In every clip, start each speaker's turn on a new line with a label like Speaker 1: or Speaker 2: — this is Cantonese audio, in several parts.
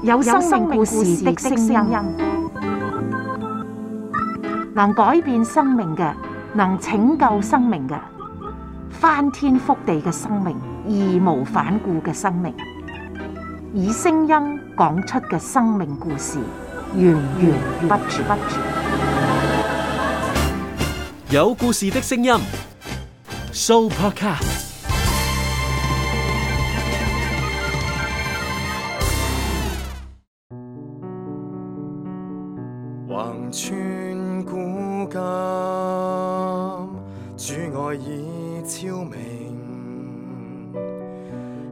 Speaker 1: 有生命故事的聲音，能改變生命嘅，能拯救生命嘅，翻天覆地嘅生命，義無反顧嘅生命，以聲音講出嘅生命故事，源源不絕。
Speaker 2: 有故事的聲音 ，Sooopodcast。
Speaker 3: 橫穿古今，主愛已超明，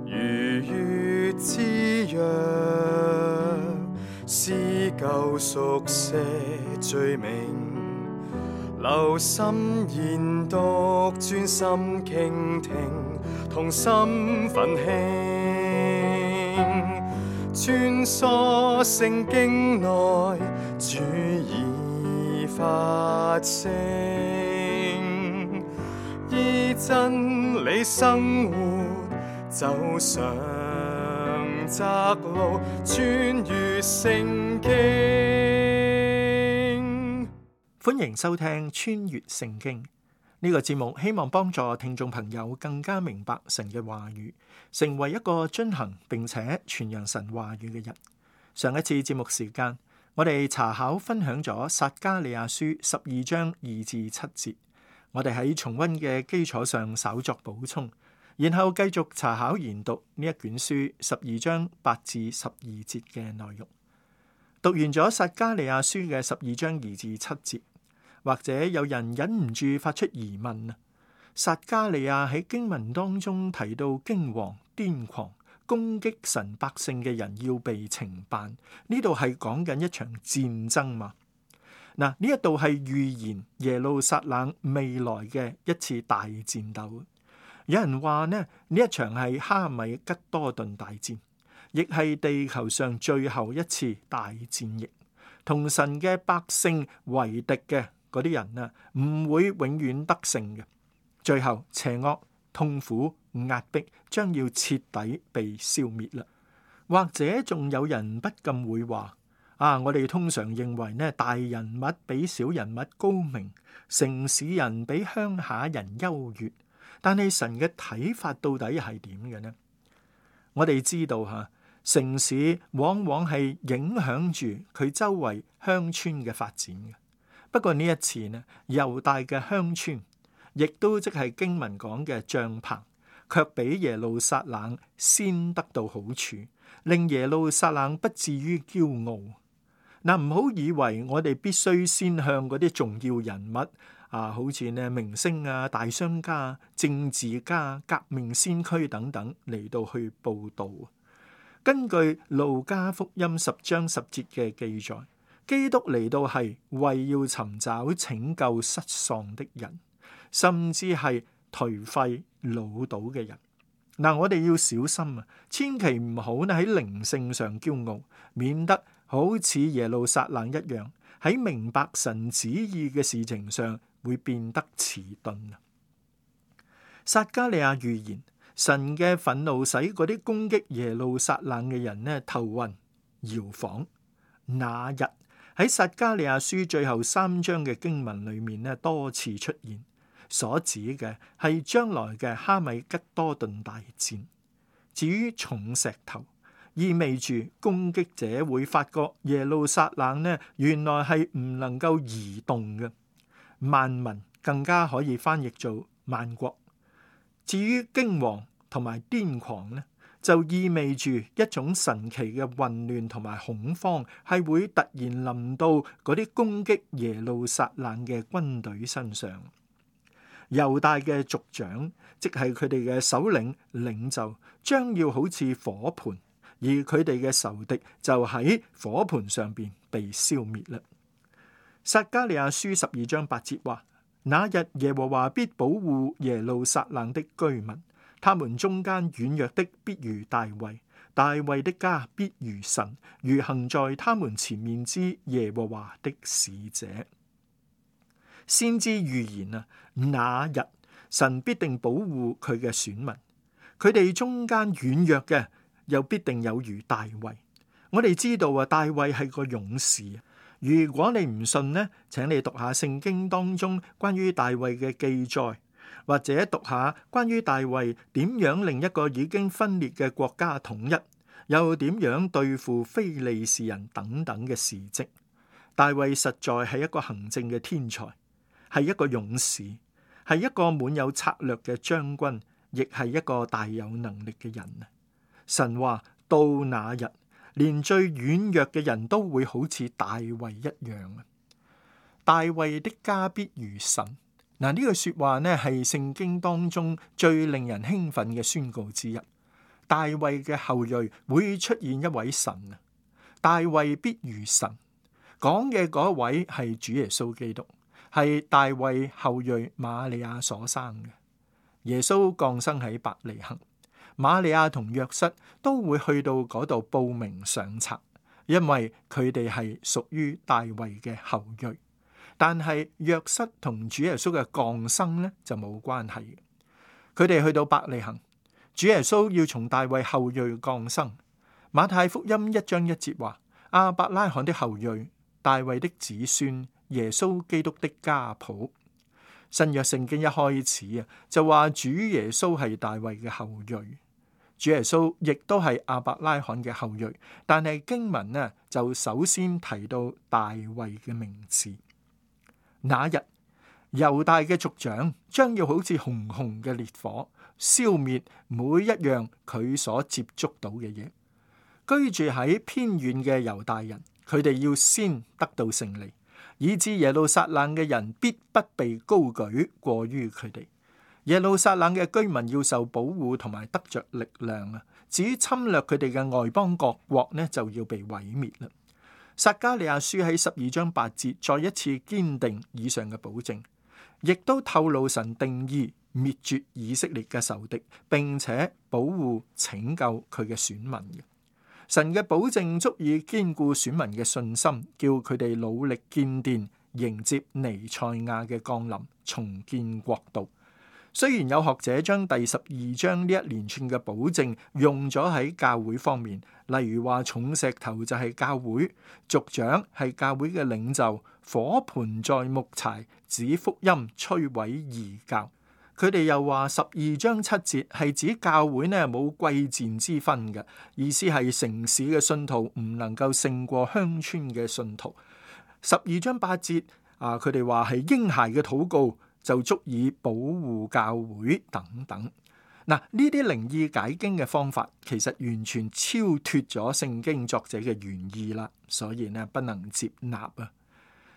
Speaker 3: 如月之約，撕舊熟寫罪名，留心研讀，專心傾聽，同心奮興，穿梭聖經內，主已發聲，依真理生活，走上窄路，穿越聖經。
Speaker 4: 歡迎收聽穿越聖經呢個節目，希望幫助聽眾朋友更加明白神嘅話語，成為一個遵行並且傳揚神話語嘅人。上一次節目時間，我哋查考分享咗撒迦利亞書12章2至7節，我哋喺重溫嘅基礎上稍作補充，然後繼續查考研讀呢一卷書12章8至12節嘅內容。讀完咗撒迦利亞書嘅12章2至7節，或者有人忍唔住發出疑問啊，撒迦利亞喺經文當中提到驚惶、癲狂、攻擊神百姓嘅人要被懲辦，呢度係講緊一場戰爭嘛？嗱，呢一度係預言耶路撒冷未來嘅一次大戰鬥。有人話呢一場係哈米吉多頓大戰，亦係地球上最後一次大戰役，同神嘅百姓為敵嘅嗰啲人啊，唔會永遠得勝嘅。最後邪惡、痛苦、壓迫將要徹底被消滅啦。或者仲有人不禁會話我哋通常認為呢，大人物比小人物高明，城市人比鄉下人優越。但係神嘅睇法到底係點嘅呢？我哋知道城市往往係影響住佢周圍鄉村嘅發展嘅。不過呢一次呢，猶大嘅鄉村，亦都即係經文講嘅帳棚，卻比耶路撒冷先得到好處，令耶路撒冷不至於驕傲。唔好以為我哋必須先向嗰啲重要人物好似呢明星大商家、政治家、革命先驅等等嚟到去報道。根據路加福音10章10節嘅記載，基督嚟到係為要尋找拯救失喪的人，甚至係頹廢老倒嘅人。我哋要小心千祈唔好喺靈性上驕傲，免得好似耶路撒冷一樣，喺明白神旨意嘅事情上會變得遲鈍。撒迦利亞預言神嘅憤怒使嗰啲攻擊耶路撒冷嘅人呢頭暈搖晃。那日喺撒迦利亞書最後3章嘅經文裏面呢多次出現，所指嘅係將來嘅哈米吉多頓大戰。至於重石頭，意味住攻擊者會發覺耶路撒冷呢原來係唔能夠移動嘅。萬民更加可以翻譯做萬國。至於驚惶同埋癲狂呢，就意味住一種神奇嘅混亂同埋恐慌，係會突然臨到嗰啲攻擊耶路撒冷嘅軍隊身上。猶大嘅族長，即係佢哋嘅首領領袖，將要好似火盆，而佢哋嘅仇敵就喺火盆上邊被消滅啦。撒迦利亞書12章8節話：那日耶和華必保護耶路撒冷的居民，他們中間軟弱的必如大衛，大衛的家必如神，如行在他們前面之耶和華的使者。先知預言那日神必定保護佢嘅選民，佢哋中間軟弱嘅又必定有如大衛。我哋知道啊，大衛係個勇士。如果你唔信呢，請你讀下聖經當中關於大衛嘅記載，或者讀下關於大衛點樣令一個已經分裂嘅國家統一，又點樣對付非利士人等等嘅事蹟。大衛實在係一個行政嘅天才，係一個勇士，係一個滿有策略嘅將軍，亦係一個大有能力嘅人。神話到那日，連最軟弱嘅人都會好似大衛一樣。大衛的家必如神。嗱，呢句說話呢係聖經當中最令人興奮嘅宣告之一。大衛嘅後裔會出現一位神啊！大衛必如神，講嘅嗰位係主耶穌基督，係大衛後裔瑪利亞所生嘅。耶穌降生喺伯利恆，瑪利亞同約瑟都會去到嗰度報名上冊，因為佢哋係屬於大衛嘅後裔。但係約瑟同主耶穌嘅降生呢就冇關係。佢哋去到伯利恆，主耶穌要從大衛後裔降生。馬太福音1章1節話：亞伯拉罕的後裔，大衛的子孫，耶穌基督的家譜。新約聖經一開始就話主耶穌係大衛嘅後裔，主耶穌亦都係亞伯拉罕嘅後裔。但係經文呢就首先提到大衛嘅名字。那日，猶大嘅族長將要好似熊熊嘅烈火，消滅每一樣佢所接觸到嘅嘢。居住喺偏遠嘅猶大人，佢哋要先得到勝利，以致耶路撒冷嘅人必不被高舉過於佢哋。耶路撒冷嘅居民要受保護同埋得着力量啊！至於侵略佢哋嘅外邦各國呢，就要被毀滅啦。撒迦利亞書喺12章8節再一次堅定以上嘅保證，亦都透露神定意滅絕以色列嘅仇敵，並且保護拯救佢嘅選民嘅。神嘅保證足以堅固選民嘅信心，叫佢哋努力建殿，迎接彌賽亞嘅降臨，重建國度。雖然有學者將第12章呢一連串嘅保證用咗喺教會方面，例如話重石頭就係教會，族長係教會嘅領袖，火盆在木柴，指福音摧毀異教。佢哋又話12章7節係指教會呢冇貴賤之分嘅，意思係城市嘅信徒唔能夠勝過鄉村嘅信徒。12章8節佢哋話係嬰孩嘅禱告就足以保護教會等等。嗱，呢啲靈意解經嘅方法其實完全超脫咗聖經作者嘅原意啦，所以呢不能接納啊。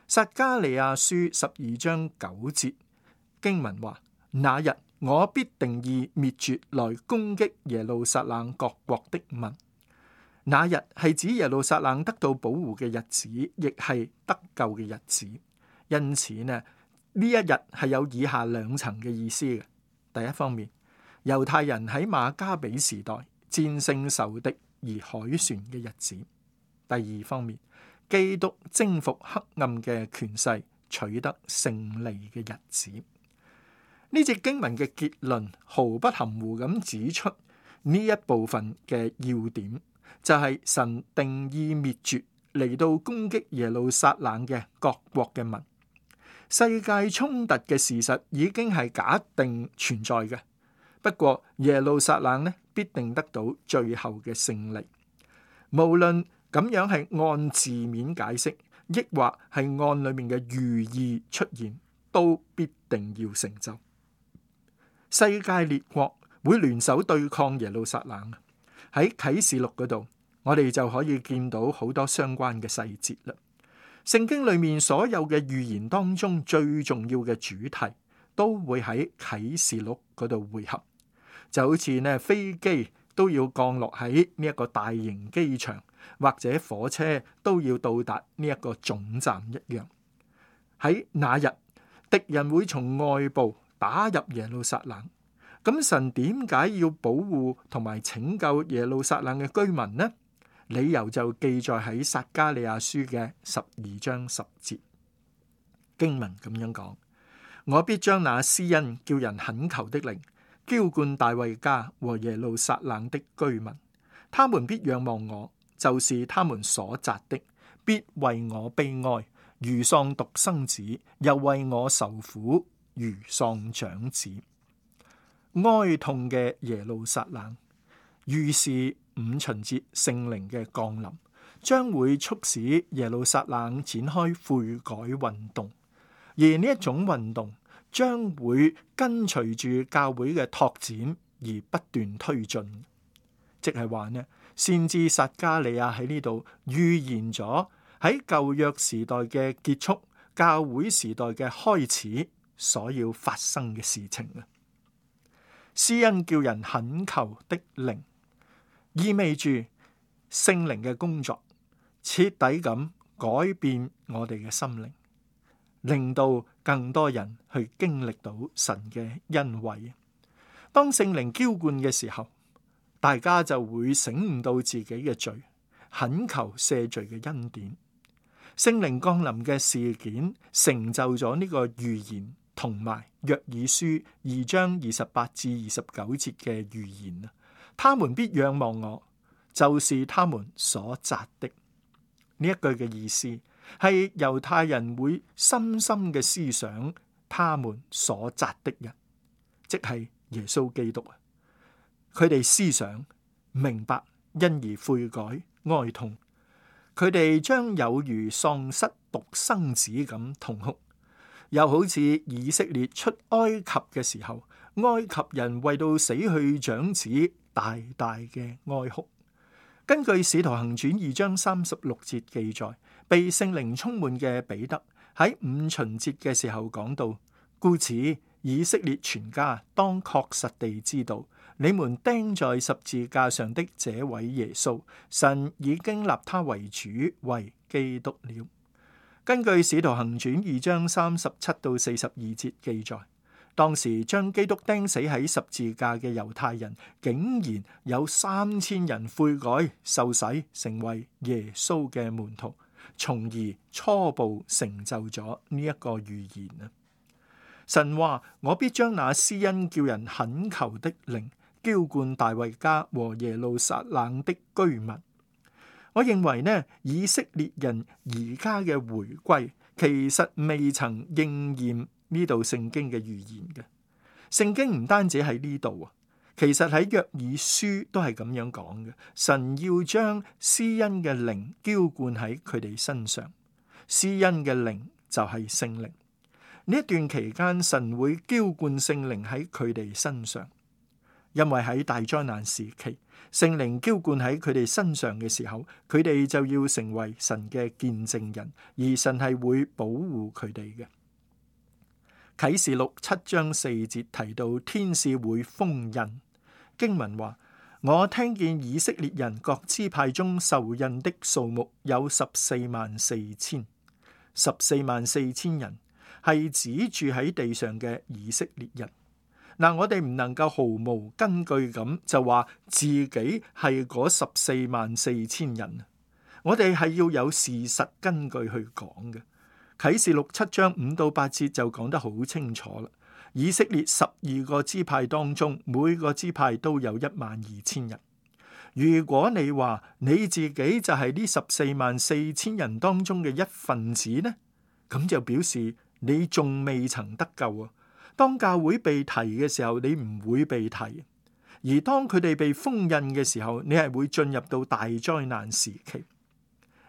Speaker 4: 撒迦利亞書12章9節經文話：那日我必定意滅絕來攻擊耶路撒冷各國的民。那日係指耶路撒冷得到保護嘅日子，亦係得救嘅日子。因此呢一日係有以下兩層嘅意思嘅。第一方面，猶太人喺馬加比時代戰勝仇敵而凱旋嘅日子；第二方面，基督征服黑暗嘅權勢，取得勝利嘅日子。呢節經文嘅結論毫不含糊咁指出呢一部分嘅要點，就係神定意滅絕嚟到攻擊耶路撒冷嘅各國嘅民。世界衝突嘅事實已經係假定存在嘅，不過耶路撒冷呢必定得到最後嘅勝利。無論咁樣係按字面解釋，抑或係按裏面嘅寓意出現，都必定要成就。世界列國會聯手對抗耶路撒冷。喺啟示錄嗰度，我哋就可以見到好多相關嘅細節啦。聖經裏面所有嘅預言當中最重要嘅主題都會喺啟示錄嗰度匯合，就好似呢飛機都要降落喺呢一個大型機場，或者火車都要到達呢一個總站一樣。喺那日，敵人會從外部打入耶路撒冷，咁神點解要保護同埋拯救耶路撒冷嘅居民呢？理由就記載喺撒迦利亞書嘅12章10節，經文咁樣講：我必將那施恩叫人懇求的靈澆灌大衛家和耶路撒冷的居民，他們必仰望我，就是他們所扎的，必為我悲哀，如喪獨生子，又為我受苦，如喪長子。哀痛嘅耶路撒冷，預示五旬節聖靈嘅降臨，將會促使耶路撒冷展開悔改運動，而呢一種運動將會跟隨住教會嘅拓展而不斷推進。即係話呢，先知撒迦利亞喺呢度預言咗喺舊約時代嘅結束，教會時代嘅開始所要發生嘅事情啊。施恩叫人懇求的靈，意味住聖靈嘅工作徹底咁改變我哋嘅心靈，令到更多人去經歷到神嘅恩惠。當聖靈澆灌嘅時候，大家就會醒悟到自己嘅罪，懇求赦罪嘅恩典。聖靈降臨嘅事件成就咗呢個預言，同埋約珥書2章28至29節嘅預言啊。他們必仰望我，就是他們所扎的。呢一句嘅意思係猶太人會深深嘅思想他們所扎的人，即係耶穌基督啊。佢哋思想明白，因而悔改哀痛，佢哋將有如喪失獨生子咁痛哭，又好似以色列出埃及嘅時候，埃及人為到死去長子大大嘅哀哭。根據使徒行傳2章36節記載，被聖靈充滿嘅彼得喺五旬節嘅時候講到，故此以色列全家當確實地知道，你們釘在十字架上的這位耶穌，神已經立他為主，為基督了。根據使徒行傳2章37到42節記載，當時將基督釘死喺十字架嘅猶太人，竟然有3000人悔改受洗，成為耶穌嘅門徒，從而初步成就咗呢一個預言啊！神話，我必將那施恩叫人懇求的靈澆灌大衛家和耶路撒冷的居民。我認為呢，以色列人而家嘅回歸其實未曾應驗呢度聖經嘅預言嘅。聖經唔單止喺呢度啊，其實喺約珥書都係咁樣講嘅。神要將施恩嘅靈澆灌喺佢哋身上，施恩嘅靈就係聖靈。呢一段期間，神會澆灌聖靈喺佢哋身上，因為喺大災難時期，聖靈澆灌喺佢哋身上嘅時候，佢哋就要成為神嘅見證人，而神係會保護佢哋嘅。啟示錄7章4節提到天使會封印，經文話：我聽見以色列人各支派中受印的數目有144000， 144000人係指住喺地上嘅以色列人。嗱，我哋唔能夠毫無根據咁就話自己係嗰144000人，我哋係要有事實根據去講嘅。啟示錄7章5到8節就講得好清楚啦。以色列12個支派當中，每個支派都有12000人。如果你話你自己就係呢144000人當中嘅一份子呢，咁就表示你仲未曾得救啊！當教會被提嘅時候，你唔會被提；而當佢哋被封印嘅時候，你係會進入到大災難時期。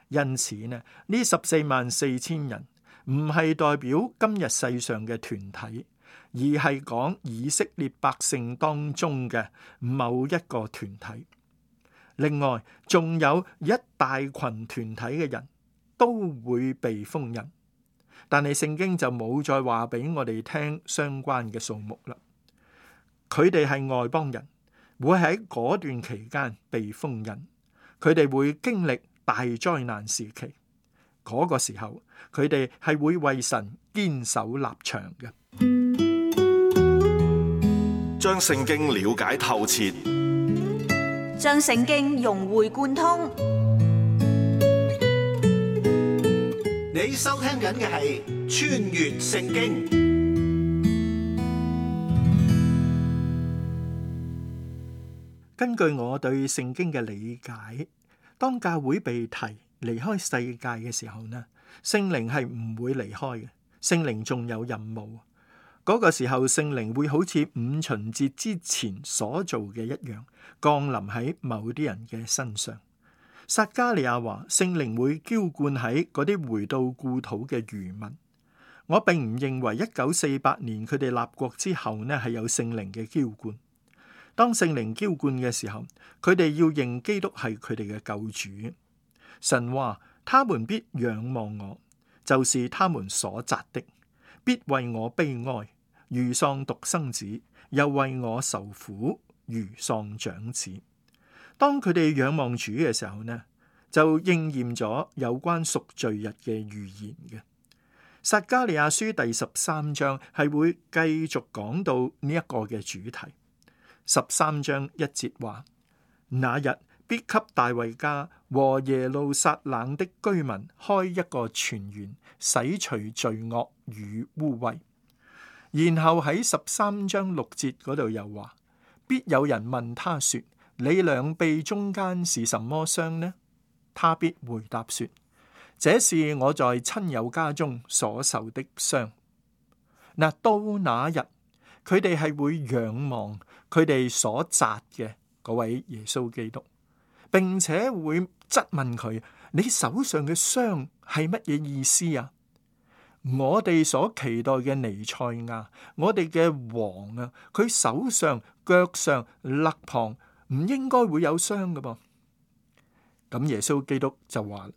Speaker 4: 因此呢144000人唔係代表今日世上嘅團體，而係講以色列百姓當中嘅某一個團體。另外，仲有一大群團體嘅人都會被封印。但係聖經就冇再話俾我哋聽相關嘅數目啦。佢哋係外邦人，會喺嗰段期間被封印，佢哋會經歷大災難時期。嗰個時候，佢哋係會為神堅守立場嘅。
Speaker 5: 將聖經了解透徹，
Speaker 6: 將聖經融會貫通。
Speaker 7: 你收聽緊嘅係《穿越聖經》。
Speaker 4: 根據我對聖經嘅理解，當教會被提離開世界嘅時候呢，聖靈係唔會離開嘅，聖靈仲有任務。嗰個時候，聖靈會好似五旬節之前所做嘅一樣，降臨喺某啲人嘅身上。撒迦利亞話，聖靈會澆灌喺嗰啲回到故土嘅餘民。我並唔認為1948年佢哋立國之後呢係有聖靈嘅澆灌。當聖靈澆灌嘅時候，佢哋要認基督係佢哋嘅救主。神話，他們必仰望我，就是他們所擇的，必為我悲哀，如喪獨生子，又為我受苦，如喪長子。當佢哋仰望主嘅時候呢，就應驗咗有關贖罪日嘅預言嘅。撒迦利亞書第13章係會繼續講到呢一個嘅主題。13章1節話：那日必給大衛家和耶路撒冷的居民開一個泉源，洗除罪惡與污穢。然後喺13章6節嗰度又話：必有人問他說，你兩臂中間是什麼傷呢？他必回答說，這是我在親友家中所受的傷。嗱，到那日，佢哋係會仰望佢哋所擇嘅嗰位耶穌基督，並且會質問佢：你手上嘅傷係乜嘢意思啊？我哋所期待嘅彌賽亞，我哋嘅王啊，佢手上、腳上、肋旁唔應該會有傷㗎噃。咁耶穌基督就話：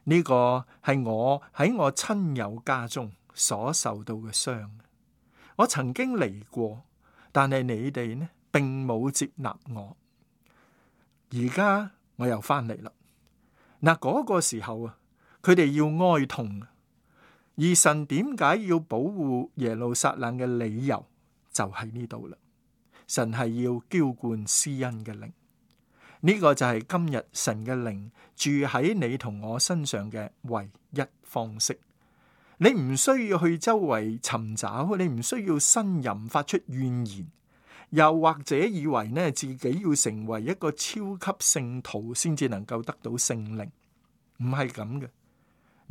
Speaker 4: 呢個係我喺我親友家中所受到嘅傷。我曾經嚟過，但係你哋呢，並冇接納我。而家我又翻嚟啦。嗱，嗰個時候啊，佢哋要哀痛。而神點解要保護耶路撒冷嘅理由就喺呢度啦。神係要澆灌施恩嘅靈。呢個就係今日神嘅靈住喺你同我身上嘅唯一方式。你唔需要去周圍尋找，你唔需要呻吟發出怨言，又或者以為呢自己要成為一個超級聖徒先至能夠得到聖靈，唔係咁嘅。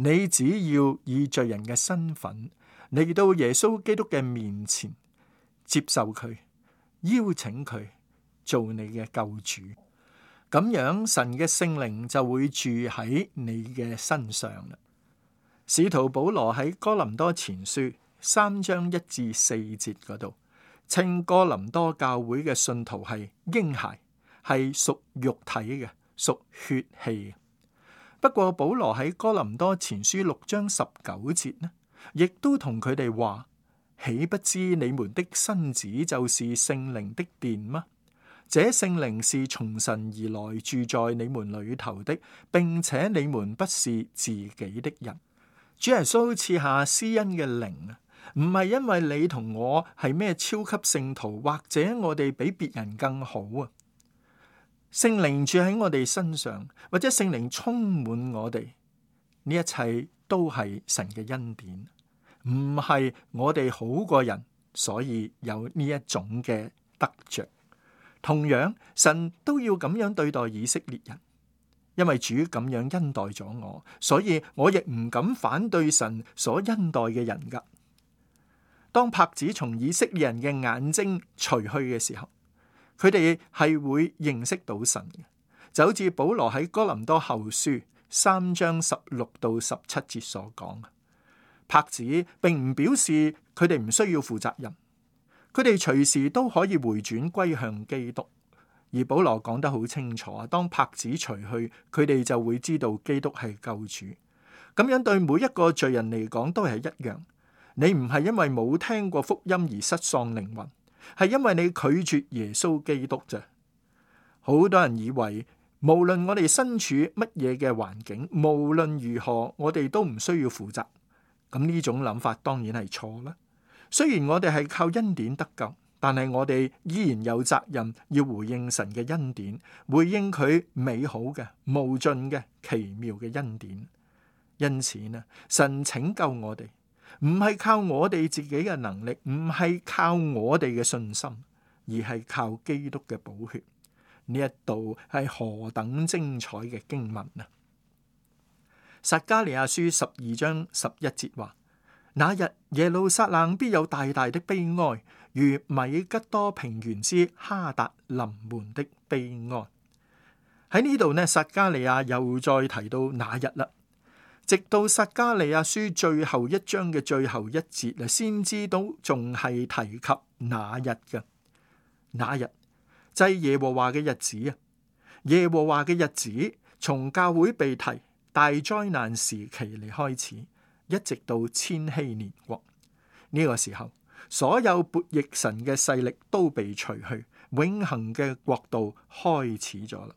Speaker 4: 你只要以罪人嘅身份嚟到耶穌基督嘅面前，接受佢，邀請佢做你嘅救主。咁樣神嘅聖靈就會住喺你嘅身上啦。使徒保羅喺哥林多前書3章1至4節嗰度，稱哥林多教會嘅信徒係嬰孩，係屬肉體嘅，屬血氣嘅。不過保羅喺哥林多前書6章19節呢，亦都同佢哋話：豈不知你們的身子就是聖靈的殿嗎？這聖靈是從神而來，住在你們裏頭的，並且你們不是自己的人。主耶穌賜下施恩嘅靈啊，唔係因為你同我係咩超級聖徒，或者我哋比別人更好啊。聖靈住喺我哋身上，或者聖靈充滿我哋，呢一切都係神嘅恩典，唔係我哋好過人，所以有呢一種嘅得着。同樣，神都要咁樣對待以色列人，因為主咁樣恩待咗我，所以我亦唔敢反對神所恩待嘅人噶。當帕子從以色列人嘅眼睛除去嘅時候，佢哋係會認識到神嘅，就好似保羅喺哥林多後書3章16到17節所講。帕子並唔表示佢哋唔需要負責任。佢哋隨時都可以回轉歸向基督，而保羅講得好清楚，當帕子除去，佢哋就會知道基督係救主。咁樣對每一個罪人嚟講都係一樣。你唔係因為冇聽過福音而失喪靈魂，係因為你拒絕耶穌基督啫。好多人以為無論我哋身處乜嘢嘅環境，無論如何我哋都唔需要負責。咁呢種諗法當然係錯啦。雖然我哋係靠恩典得救，但係我哋依然有責任要回應神嘅恩典，回應佢美好嘅、無盡嘅、奇妙嘅恩典。因此呢，神拯救我哋，唔係靠我哋自己嘅能力，唔係靠我哋嘅信心，而係靠基督嘅寶血。呢一度係何等精彩嘅經文啊！撒迦利亞書12章11節話：那日耶路撒冷必有大大的悲哀，如米吉多平原之哈達臨門的悲哀。喺呢度呢，撒迦利亞又再提到那日啦。直到撒迦利亞書最後一章嘅最後一節啊，先知都仲係提及那日嘅。那日就係耶和華嘅日子啊！耶和華嘅日子從教會被提大災難時期嚟開始，一直到千禧年國呢個時候，所有悖逆神嘅勢力都被除去，永恆嘅國度開始咗啦。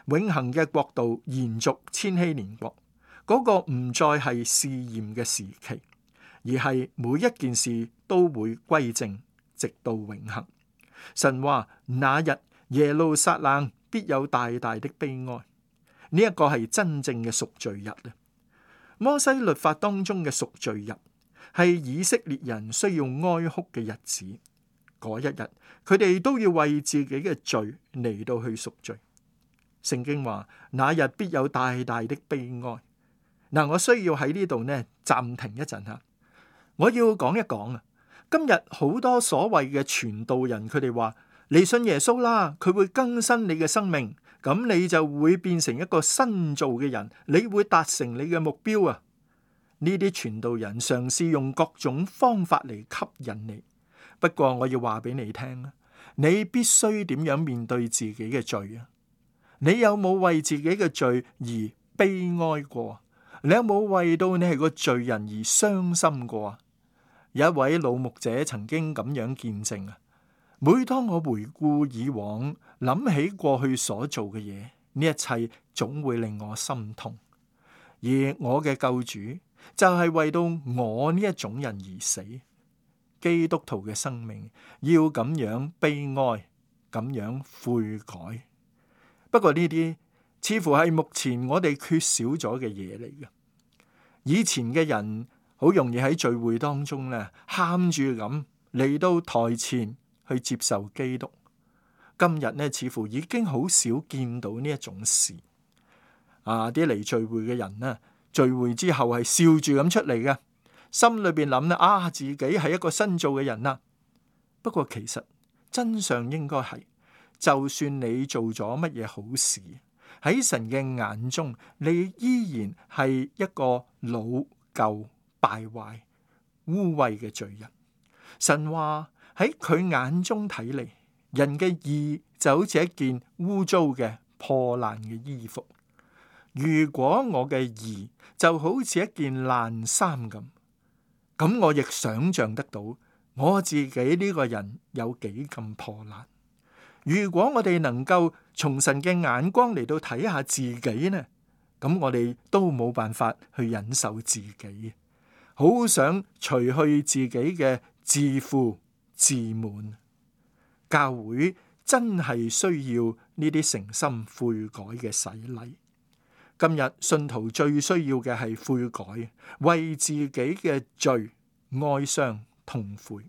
Speaker 4: 永恆嘅國度延續千禧年國，嗰個唔再係試驗嘅時期，而係每一件事都會歸正，直到永恆。神話那日耶路撒冷必有大大的悲哀，呢一個係真正嘅贖罪日啊！摩西律法當中嘅贖罪日係以色列人需要哀哭嘅日子，嗰一日佢哋都要為自己嘅罪嚟到去贖罪。聖經話那日必有大大的悲哀。嗱，我需要喺呢度呢暫停一陣吓，我要講一講啊。今日好多所謂嘅傳道人，佢哋話你信耶穌啦，佢會更新你嘅生命，咁你就會變成一個新造嘅人，你會達成你嘅目標啊。呢啲傳道人嘗試用各種方法嚟吸引你，不過我要話俾你聽啊，你必須點樣面對自己嘅罪啊？你有冇為自己嘅罪而悲哀過？你有冇為到你係個罪人而傷心過啊？有一位老牧者曾經咁樣見證啊，每當我回顧以往，諗起過去所做嘅嘢，呢一切總會令我心痛。而我嘅救主就係為到我呢一種人而死。基督徒嘅生命要咁樣悲哀，咁樣悔改。不過呢啲似乎係目前我哋缺少咗嘅嘢嚟嘅。以前嘅人好容易喺聚會當中咧，喊住咁嚟到台前去接受基督。今日呢，似乎已經好少見到呢一種事。啲嚟聚會嘅人呢，聚會之後係笑住咁出嚟嘅，心裏邊諗咧，自己係一個新造嘅人啦。不過其實真相應該係，就算你做咗乜嘢好事，喺神嘅眼中，你依然係一個老舊敗壞污穢嘅罪人。神話喺佢眼中睇嚟，人嘅義就好似一件污糟嘅破爛嘅衣服。如果我嘅義就好似一件爛衫咁我亦想象得到我自己呢個人有幾咁破爛。如果我哋能夠從神嘅眼光嚟到睇下自己呢，咁我哋都冇辦法去忍受自己，好想除去自己嘅自負自滿。教會真係需要呢啲誠心悔改嘅洗禮。今日信徒最需要嘅係悔改，為自己嘅罪哀傷痛悔。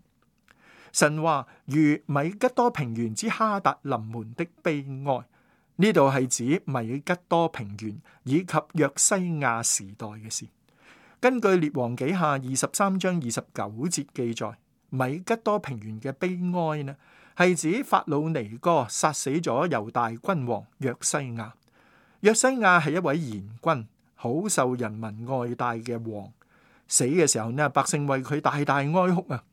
Speaker 4: 神話如米吉多平原之哈達臨門的悲哀，呢度係指米吉多平原以及約西亞時代嘅事。根據列王紀下23章29節記載，米吉多平原嘅悲哀呢，係指法老尼哥殺死咗猶大君王約西亞。約西亞係一位賢君，好受人民愛戴嘅王。死嘅時候呢，百姓為佢大大哀哭啊。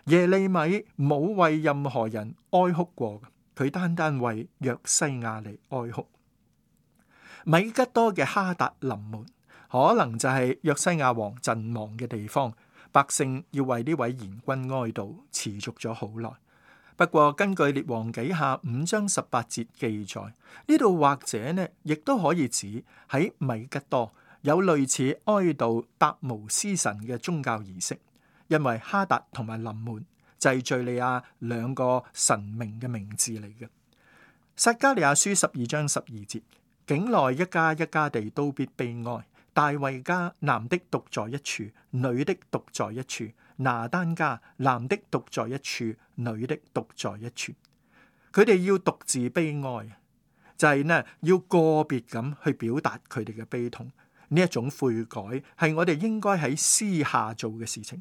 Speaker 4: 耶利米冇為任何人哀哭過，佢單單為約西亞嚟哀哭。米吉多嘅哈達臨門，可能就係約西亞王陣亡嘅地方，百姓要為呢位賢君哀悼，持續咗好耐。不過根據列王紀下5章18節記載，呢度或者呢亦都可以指喺米吉多有類似哀悼達姆斯神嘅宗教儀式。因為哈達同埋臨門就係敘利亞兩個神明嘅名字嚟嘅。撒迦利亞書12章12節，境內一家一家地都必悲哀。大衛家男的獨在一處，女的獨在一處；拿單家男的獨在一處，女的獨在一處。佢哋要獨自悲哀，就係呢要個別咁去表達佢哋嘅悲痛。呢一種悔改係我哋應該喺私下做嘅事情。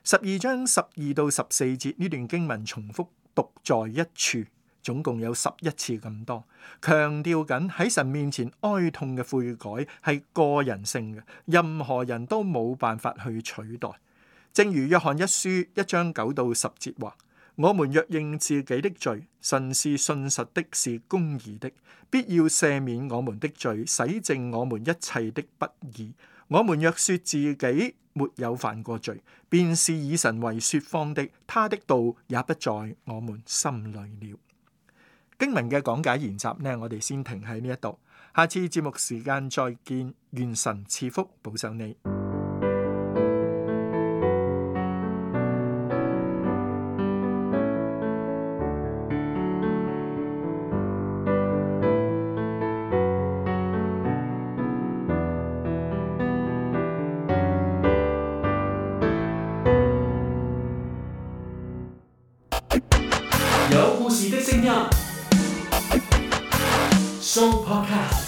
Speaker 4: 12章12到14節呢段經文重複讀在一處，總共有11次咁多，強調緊喺神面前哀痛嘅悔改係個人性嘅，任何人都冇辦法去取代。正如約翰一書1章9到10節話：我們若認自己的罪，神是信實的，是公義的，必要赦免我們的罪，洗淨我們一切的不義。我們若說自己沒有犯過罪，便是以神為說謊的，他的道也不在我們心裏了。經文嘅講解研習呢，我哋先停喺呢一度，下次節目時間再見，願神賜福保守你。
Speaker 2: 有故事的聲音，Show Podcast。